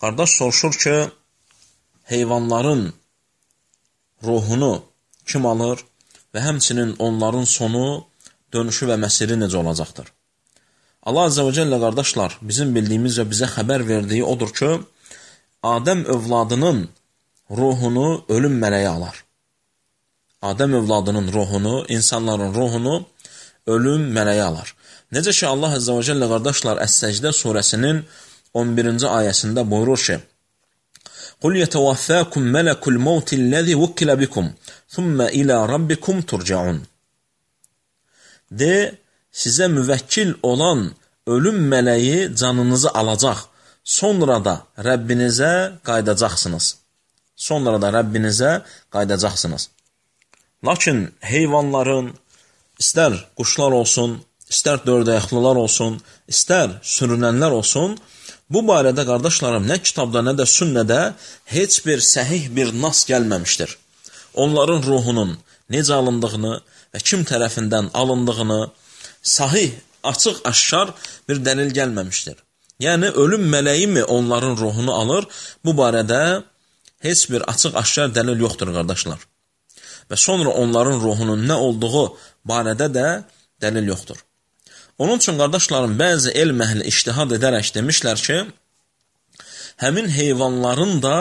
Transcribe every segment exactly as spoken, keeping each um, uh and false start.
Qardaş soruşur ki, heyvanların ruhunu kim alır və həmçinin onların sonu, dönüşü və məsiri necə olacaqdır? Allah Azze və Cəllə qardaşlar, bizim bildiyimiz və bizə xəbər verdiyi odur ki, Adəm övladının ruhunu ölüm mələyi alar. Adəm övladının ruhunu, insanların ruhunu ölüm mələyi alar. Necə ki, Allah Azze və Cəllə qardaşlar, Əs-Səcdə surəsinin on birinci ayəsində buyurur ki, قُلْ يَتَوَفَّاكُمْ مَلَكُ الْمَوْتِ الَّذِي وُكِّلَ بِكُمْ ثُمَّ إِلَى رَبِّكُمْ تُرْجَعُونَ. De, sizə müvəkkil olan ölüm mələyi canınızı alacaq, sonra da Rəbbinizə qaydacaqsınız. Sonra da Rəbbinizə qaydacaqsınız. Lakin heyvanların, istər quşlar olsun, istər dördəyəxlılar olsun, istər sürünənlər olsun, bu barədə qardaşlarım, nə kitabda, nə də sünnədə heç bir səhih bir nas gəlməmişdir. Onların ruhunun necə alındığını və kim tərəfindən alındığını sahih, açıq, aşkar bir dəlil gəlməmişdir. Yəni, ölüm mələyi mi onların ruhunu alır? Bu barədə heç bir açıq, aşkar dəlil yoxdur, qardaşlar. Və sonra onların ruhunun nə olduğu barədə də dəlil yoxdur. Onun üçün, qardaşlarım, bəzi elm əhli ictihad edərək demişlər ki, həmin heyvanların da,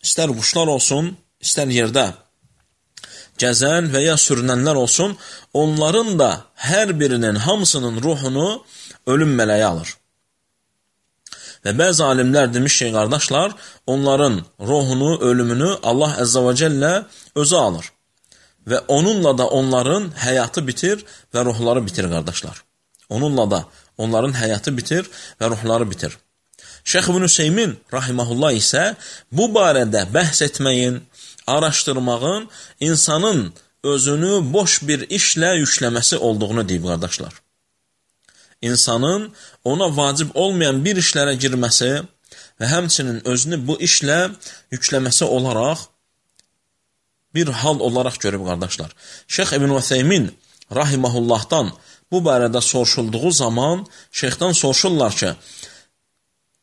istər quşlar olsun, istər yerdə gəzən və ya sürünənlər olsun, onların da hər birinin, hamısının ruhunu ölüm mələyi alır. Və bəzi alimlər demiş ki, qardaşlar, onların ruhunu, ölümünü Allah Əzzə və Cəllə özü alır. Və onunla da onların həyatı bitir və ruhları bitir, qardaşlar. Onunla da onların həyatı bitir və ruhları bitir. Şeyx İbn Hüseymin rahimehullah isə bu barədə bəhs etməyin, araşdırmağın insanın özünü boş bir işlə yükləməsi olduğunu deyib, qardaşlar. İnsanın ona vacib olmayan bir işlərə girməsi və həmçinin özünü bu işlə yükləməsi olaraq bir hal olaraq görüb, qardaşlar. Şeyx İbn Hüseymin rahimehullahdan bu barədə soruşulduğu zaman şeyxdən soruşurlar ki,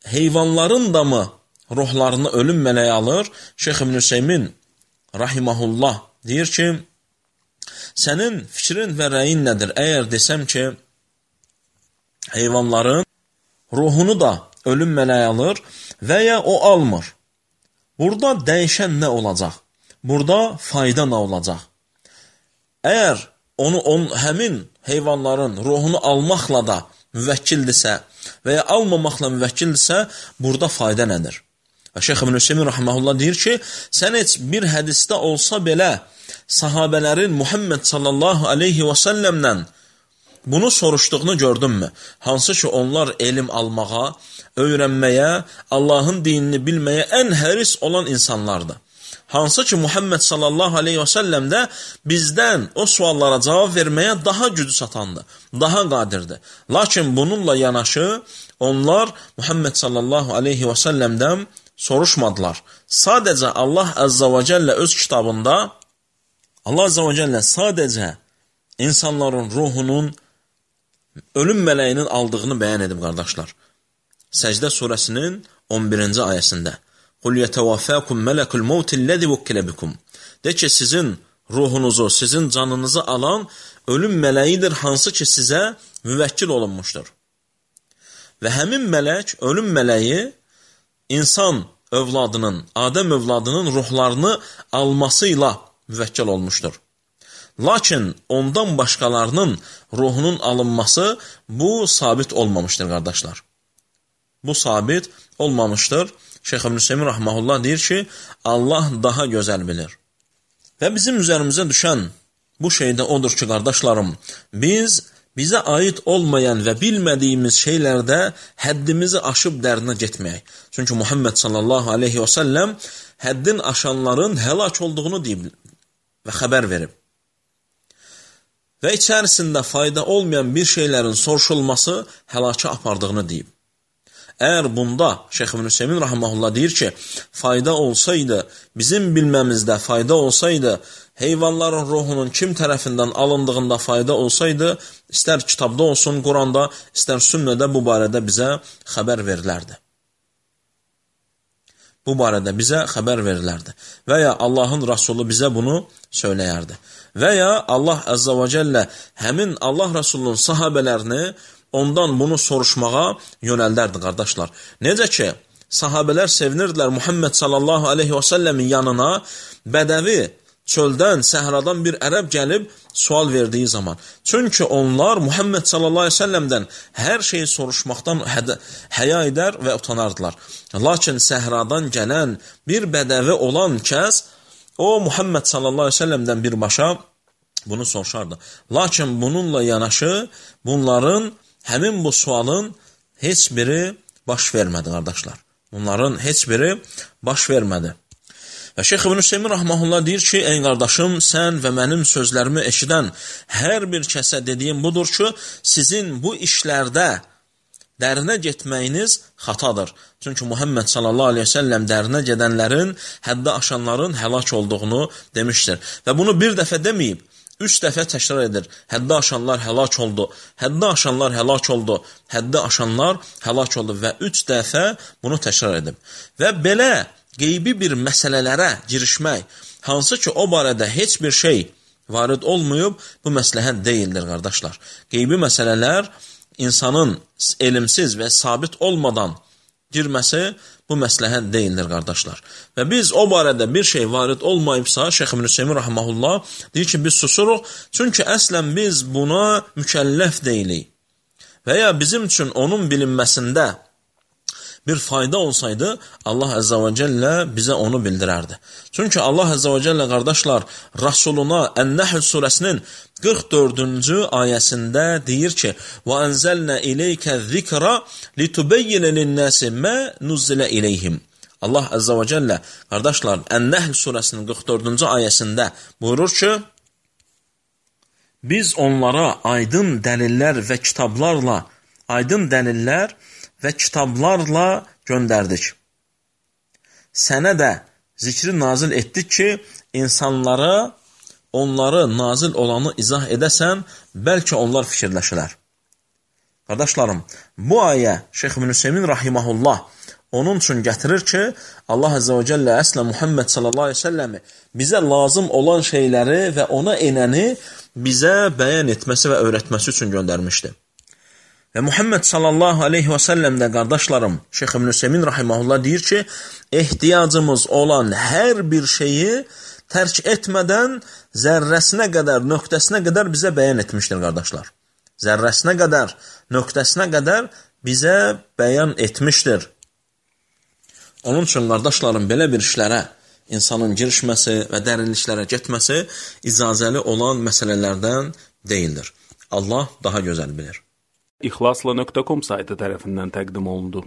heyvanların da mı ruhlarını ölüm mələyi alır? Şeyx İbn Hüseymin rahimehullah deyir ki, sənin fikrin və rəyin nədir? Əgər desəm ki, heyvanların ruhunu da ölüm mələyi alır və ya o almır. Burada dəyişən nə olacaq? Burada fayda nə olacaq? Əgər onu on, həmin heyvanların ruhunu almaqla da müvəkkildirsə və ya almamaqla müvəkkildirsə, burada fayda nədir? Və Şeyx İbn Hüseymin rahimehullah deyir ki, sən heç bir hədisdə olsa belə sahabələrin Muhammed sallallahu aleyhi və səlləmlə bunu soruşduğunu gördünmü? Hansı ki, onlar elm almağa, öyrənməyə, Allahın dinini bilməyə ən həris olan insanlardır. Hansı ki, Muhammed sallallahu aleyhi və səlləm də bizdən o suallara cavab verməyə daha gücü satandır, daha qadirdir. Lakin bununla yanaşı, onlar Muhammed sallallahu aleyhi və səlləmdən soruşmadılar. Sadəcə Allah Əzzə və Cəllə öz kitabında, Allah Əzzə və Cəllə sadəcə insanların ruhunun ölüm mələyinin aldığını bəyan edib, qardaşlar. Səcdə surəsinin on birinci ayəsində. قُلْ يَتَوَفَّاكُمْ مَلَكُ الْمَوْتِ الَّذِي وُكِّلَ بِكُمْ. De ki, sizin ruhunuzu, sizin canınızı alan ölüm mələyidir, hansı ki, sizə müvəkkil olunmuşdur. Və həmin mələk, ölüm mələyi, insan övladının, Adəm övladının ruhlarını almasıyla müvəkkil olmuşdur. Lakin ondan başqalarının ruhunun alınması bu sabit olmamışdır, qardaşlar. Bu sabit olmamışdır. Şeyx İbn Hüseymin rahmehullah deyir ki, Allah daha gözəl bilir. Və bizim üzərimizə düşən bu şey də odur ki, qardaşlarım, biz bizə aid olmayan və bilmədiyimiz şeylərdə həddimizi aşıb dərinə getməyək. Çünki Muhammed sallallahu aleyhi və səlləm həddin aşanların həlak olduğunu deyib və xəbər verib. Və içərisində fayda olmayan bir şeylərin soruşulması həlaka apardığını deyib. Əgər bunda Şeyx İbn Hüseymin rahmehullah deyir ki, fayda olsaydı, bizim bilməmizdə fayda olsaydı, heyvanların ruhunun kim tərəfindən alındığında fayda olsaydı, istər kitabda olsun, Quranda, istər sünnədə bu barədə bizə xəbər verilərdi. bu barədə bizə xəbər verilərdi. Və ya Allahın Rasulü bizə bunu söyləyərdi. Və ya Allah Əzzə və Cəllə həmin Allah Rasulunun sahabələrini ondan bunu soruşmağa yönəldərdi, qardaşlar. Necə ki, sahabələr sevinirdilər Muhammed sallallahu aleyhi və səlləmin yanına bədəvi, çöldən, səhradan bir ərəb gəlib sual verdiyi zaman. Çünki onlar Muhammed sallallahu aleyhi və səlləmdən hər şeyi soruşmaqdan həya edər və utanardılar. Lakin səhradan gələn bir bədəvi olan kəs, o Muhammed sallallahu aleyhi və səlləmdən birbaşa bunu soruşardı. Lakin bununla yanaşı bunların həmin bu sualın heç biri baş vermədi, qardaşlar. Bunların heç biri baş vermədi. Və Şeyx İbn Hüseymin rahmehullah deyir ki, ey qardaşım, sən və mənim sözlərimi eşidən hər bir kəsə dediyim budur ki, sizin bu işlərdə dərinə getməyiniz xatadır. Çünki Muhammed sallallahu aleyhi ve sellem dərinə gedənlərin, həddə aşanların həlak olduğunu demişdir. Və bunu bir dəfə deməyib, üç dəfə təkrar edir. Həddə aşanlar həlak oldu, həddə aşanlar həlak oldu, həddə aşanlar həlak oldu və üç dəfə bunu təkrar edib. Və belə qeybi bir məsələlərə girişmək, hansı ki o barədə heç bir şey varid olmayıb, bu məsləhət deyildir, qardaşlar. Qeybi məsələlər insanın elmsiz və sabit olmadan girməsi bu məsləhət deyildir, qardaşlar. Və biz o barədə bir şey varid olmayıbsa, Şeyx İbn Hüseymin rahmehullah deyir ki, biz susuruq, çünki əslən biz buna mükəlləf deyilik. Və ya bizim üçün onun bilinməsində bir fayda olsaydı, Allah Əzzə və Cəllə bizə onu bildirərdi. Çünki Allah Əzzə və Cəllə, qardaşlar, Rasuluna Ən-Nəhl surəsinin qırx dördüncü ayəsində deyir ki, وَأَنْزَلْنَا إِلَيْكَ الذِّكْرَ لِتُبَيِّنَ لِلنَّاسِ مَا نُزِّلَ إِلَيْهِمْ. Allah Əzzə və Cəllə, qardaşlar, Ən-Nəhl surəsinin qırx dördüncü ayəsində buyurur ki, biz onlara aydın dəlillər və kitablarla, aydın dəlillər və kitablarla göndərdik. Sənə də zikri nazil etdik ki, insanlara onları nazil olanı izah edəsən, bəlkə onlar fikirləşilər. Qardaşlarım, bu ayə Şeyx İbn Hüseymin rahimehullah onun üçün gətirir ki, Allah Əzzə və Cəllə əslə Muhammed sallallahu aleyhi ve səlləmi bizə lazım olan şeyləri və ona enəni bizə bəyan etməsi və öyrətməsi üçün göndərmişdir. Və Muhammed sallallahu aleyhi və səlləm də, qardaşlarım, Şeyx İbn Hüseymin rahimehullah deyir ki, ehtiyacımız olan hər bir şeyi tərk etmədən zərrəsinə qədər, nöqtəsinə qədər bizə bəyan etmişdir, qardaşlar. Zərrəsinə qədər, nöqtəsinə qədər bizə bəyan etmişdir. Onun üçün, qardaşlarım, belə bir işlərə insanın girişməsi və dərinliklərə getməsi icazəli olan məsələlərdən deyildir. Allah daha gözəl bilir. İxlasla nöqtə com saytı tərəfindən təqdim olundu.